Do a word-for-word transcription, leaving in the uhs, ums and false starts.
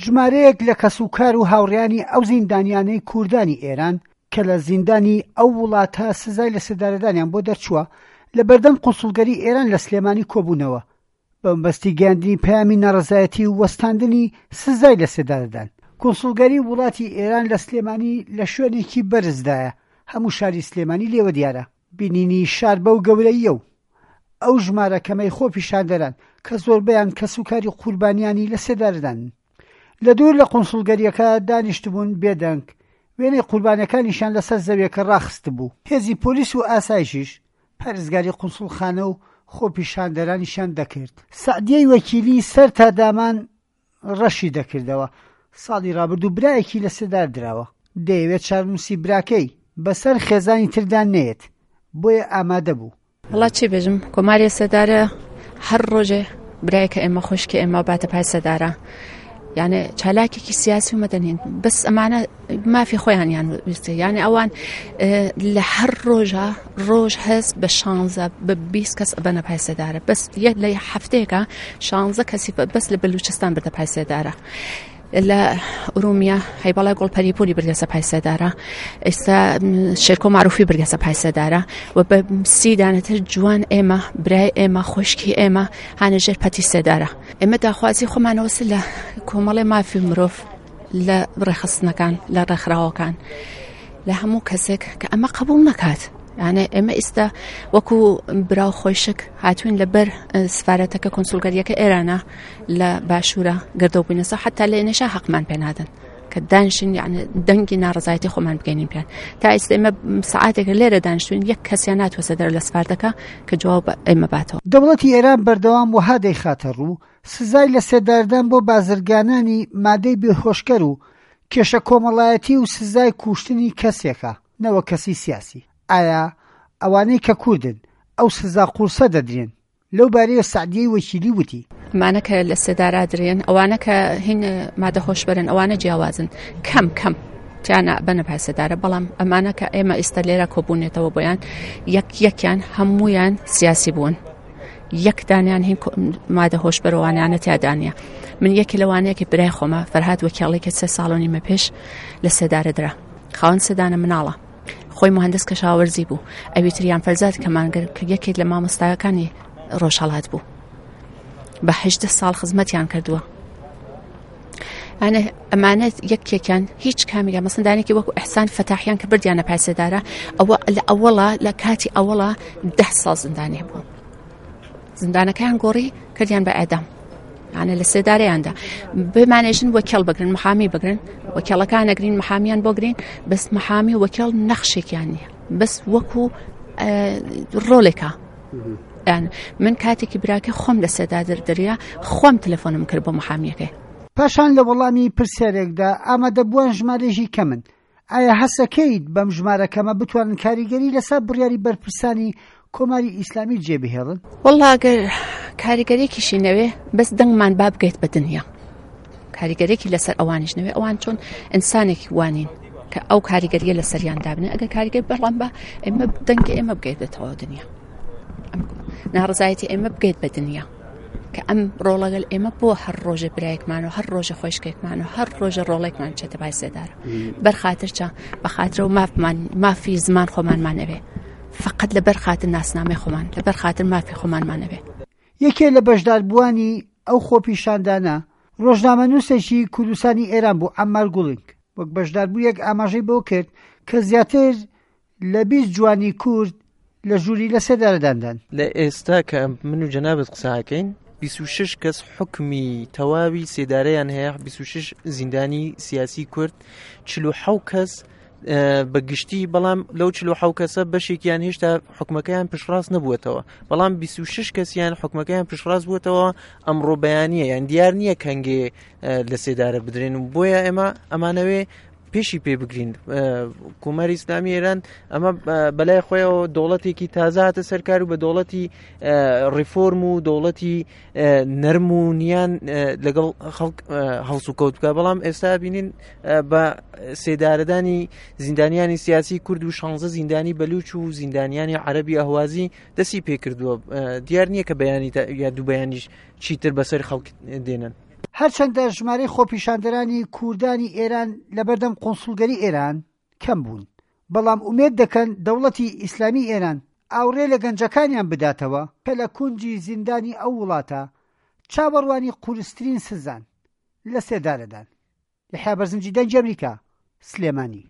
ژمارەیەک لە کەسوکار و هاوڕێیانی ئەو زیندانیانەی کوردانی ئێران کە لە زیندانی ئەو وڵاتە سزای لە سێدارەدانیان بۆ دەرچووە لە بەردەم قونسوڵگەری ئێران لە سلێمانی کۆبوونەوە بە مەبەستی گەیاندنی پەیامی ناڕەزایەتی و وەستاندنی سزای لە سێدارەدان. کونسوڵگەری وڵاتی ئێران لە سلێمانی لە شوێنێکی بەرزدایە، هەموو شاری سلێمانی لێوە دیارە. بینینی شار بەو گەورەییە و ئەو ژمارە کەمەی خۆپیشاندەران کە زۆربەیان کەسوکاری قوربانیانی لە سێدارەدانن لە دوور لە قونسوڵگەریەکە دانیشتبوون بێدەنگ، وێنەی قوربانیەکانیشیان لەسەر زەویەکە ڕاخستبوو. هێزی پۆلیس و ئاسایشیش پارێزگاری قونسوڵخانە و خۆپیشاندەرانیشیان دەکرد. سەعدیەی وەکیلی سەر تا دامان ڕەشی دەکردەوە. ساڵی ڕابردوو برایەکی لە سێدار دراوە. دەیەوێت چارنووسی براکەی بەسەر خێزانی تردا نەیەت، بۆیە ئامادە بوو. وەڵا چی بێژم، کۆماری سێدارە هەر ڕۆژێ برایەکە ئێمە خۆشکی ئێمە باتە پای سێدارە. یعنی چالاکێکی سیاسی و مەدەنین، بەس ئەمانە مافی خۆیانیان ویستە. یعنی ئەوان لە هەر ڕۆژە ڕۆژ هەست بە شانزە بە بیست کەس ئەبەنە پای سێدارە. بەس یەک لە هەفتەیەکە شانزە کەسی بەس لە بەلوچستان بردە پای سێدارە. لە ئورومیە هەیبەڵای گوڵپەری پولی بردەسە پای سێدارە، ئێستا شێرکۆ معروفی بردەسە پای سێدارە و بە سی دانەتر جوان ئێمە برای ئێمە خۆشکی ئێمە هانە ژێر پەتی سێدارە. ئێمە داخوازی خۆمانەوەس لە کۆمەڵی مافی مرۆڤ، لە ڕێخستنەکان، لە ڕێکخراوەکان، لە هەموو کەسێک کە ئەمە قبول نەکات. یعنی ئێمە ئێستا وەکو برا و خۆشک هاتوین لەبەر سفارەتەکە کۆنسولگەریەکە ئێرانە لە باشوورە گردەو بووینەسە، حتا لە ئێنەشا حەقمان پێنادەن کە دانیشین، یعنی دەنگی ناڕەزایەتی خۆمان بگەینین پێیان. تا ئێستا ئێمە سەعاتێکە لێرە دانیشتوین، یەک کەسیان ناتوەسە دەرە لە سفارەتەکە کە جواب ئێمە باتەوە. دەوڵەتی ئێران بەردەوام وەها دەیخاتە ڕوو سزای لە سێداردان بۆ بازرگانانی مادەی بێهۆشکەر و کێشە کۆمەڵایەتی و سزای کوشتنی کەسێکە نەوە کەسی سیاسی. ئایا ئەوانەی کە کوردن ئەو سزا قورسە دەدرێن؟ لەو بارەیە سەعدیەی وەکیلی وتی: ئەمانە کە لە سێدارا درێن، ئەوانە کە هین مادە هۆشبەرن، ئەوانە جیاوازن، کەم کەم تیانە بەنە پای سێدارە. بەڵام ئەمانە کە ئێمە ئێستا لێرە کۆبوونێتەوە بۆیان، یەک یەکیان هەمویان سیاسی بوون، یەک دانیان هین مادە هۆشبەرەوانیانە تیادانیە. من یەکی لەوانەیەکی برای خۆمە فەرهاد وەکیاڵی کە سێ ساڵ و نیمە پێش لە سێدارە درا، خاوەن سێدانە مناڵە، خۆی مهندس کەشاوەرزی بوو، ئەوی تریان فەرزاد کەمانگەر کە یەکێک لە مامۆستاکانی ڕۆژهەڵات بوو، بە هەژدە ساڵ خزمەتیان کردووە. ئەمانە ئەمانە یەکێکیان هیچ کامیان مەسەن دانێکی وەکو ئیحسان فەتاحیان کە بردیانە پای سێدارە، ئەوە لە ئەوەڵا لە کاتی ئەوەڵا دە ساڵ زیندانی بوو، زیندانەکەیان گۆڕی کردیان بە ئێدام، یعنی لە سێدارەیاندا. بمانێژن وەکێڵ بگرن، محامی بگرن، وەکێڵەکان نەگرین، محامیان بۆ گرین، بەس محامی وەکێڵ نەخشێکیان نییە، بەس وەکو ڕۆلێکە. یعنی من کاتێکی براکە خۆم لە سێدار دەریا، خۆم تەلەفۆنم کرد بۆ محامیەکەی. پاشان لە وەڵامی پرسیارێکدا ئامادەبووان ژمارەیەکی کەمن. ئایا هەسەکەیت بەم ژمارە کەمە بتوانن کاریگەری لەسەر بڕیاری بەرپرسانی کۆماری ئیسلامی جێبهێڵن؟ وەڵا ئەگەر کاریگەریەکیشی نەوێ، بەس دەنگمان با بگەیت بە دنیا، کاریگەریەکی لەسەر ئەوانیش نەوێ. ئەوان چۆن ئینسانێکی وانین کە ئەو کاریگەریە لەسەریان دابنێ. ئەگەر کاریگەری بەڵام بە ئێمە دەنگی ئێمە بگەیت بە تەواو دنیا، ناڕەزایەتی ئێمە بگەیت بە دنیا کە ئەم ڕۆڵەگەل ئێمە بۆ هەر ڕۆژێ برایەکمان و هەر ڕۆژێ خۆشکێکمان و هەر ڕۆژێ ڕۆڵێکمان چێتە پای سێدارە. بەرخاتر چا؟ بەخاترە و مافمان، مافی زمان خۆمانمان ئەوێ، فقط لەبەر خاتر ناسنامەی خۆمان، لەبەر خاتر مافی خۆمانمان ئەوێ. یەکێ لە بەشداربووانی ئەو خۆپیشاندانە ڕۆژنامەنووسێکی کوردستانی ئێران بوو، عەممار گوڵینگ. وەک بەشداربوویەک ئاماژەی بۆ کرد کە زیاتر لە بیست جوانی کورد لە ژووری لە سێدارەداندان. لە ئێستا کە من و جەنابت قساکەین بیست و شەش کەس حکمی تەواوی سێدارەیان هەیە، بیست و شەش زیندانی سیاسی کورد، چل و حەوت کەس بە گشتی، بەڵام لەو چل و حەوت کەسە بەشێکیان هێشتا حکومەکەیان پشتڕاست نەبووەتەوە، بەڵام بیست و شەش کەسیان حکومەکەیان پشتڕاست بووەتەوە ئەمڕۆ بەیانیە، یان دیار نییە کەنگێ لە سێدارە بدرێن و بۆیە ئێمە ئەمانەوێ پێشی پێ بگرین. کۆماری ئیسلامی ئێران ئەمە بەلای خۆیەوە دەوڵەتێکی تازە هاتە سەرکار و بە دەوڵەتی ڕیفۆرم و دەوڵەتی نەرم و نیان لەگەڵ خەڵک هەڵسوکەوت بکە، بەڵام ئێستا بینین بە سێدارەدانی زیندانیانی سیاسی کورد و شانزە زیندانی بەلوچ و زیندانیانی عەرەبی ئەهوازی دەستی پێکردووە. دیار نییە کە بەیانی یا دوو بەیانیش چیتر بەسەر خەڵک دێنن. هەرچەندە ژمارەی خۆپیشاندەرانی کوردانی ئێران لەبەردەم قونسوڵگەری ئێران کەم بوون، بەڵام ئومێد دەکەن دەوڵەتی ئیسلامی ئێران ئاوڕێ لە گەنجەکانیان بداتەوە کە لە کونجی زیندانی ئەو وڵاتە چاوەڕوانی قورسترین سزان لە سێدارەدان. یەحیا بەرزنجی، دەنگی ئەمریکا، سلێمانی.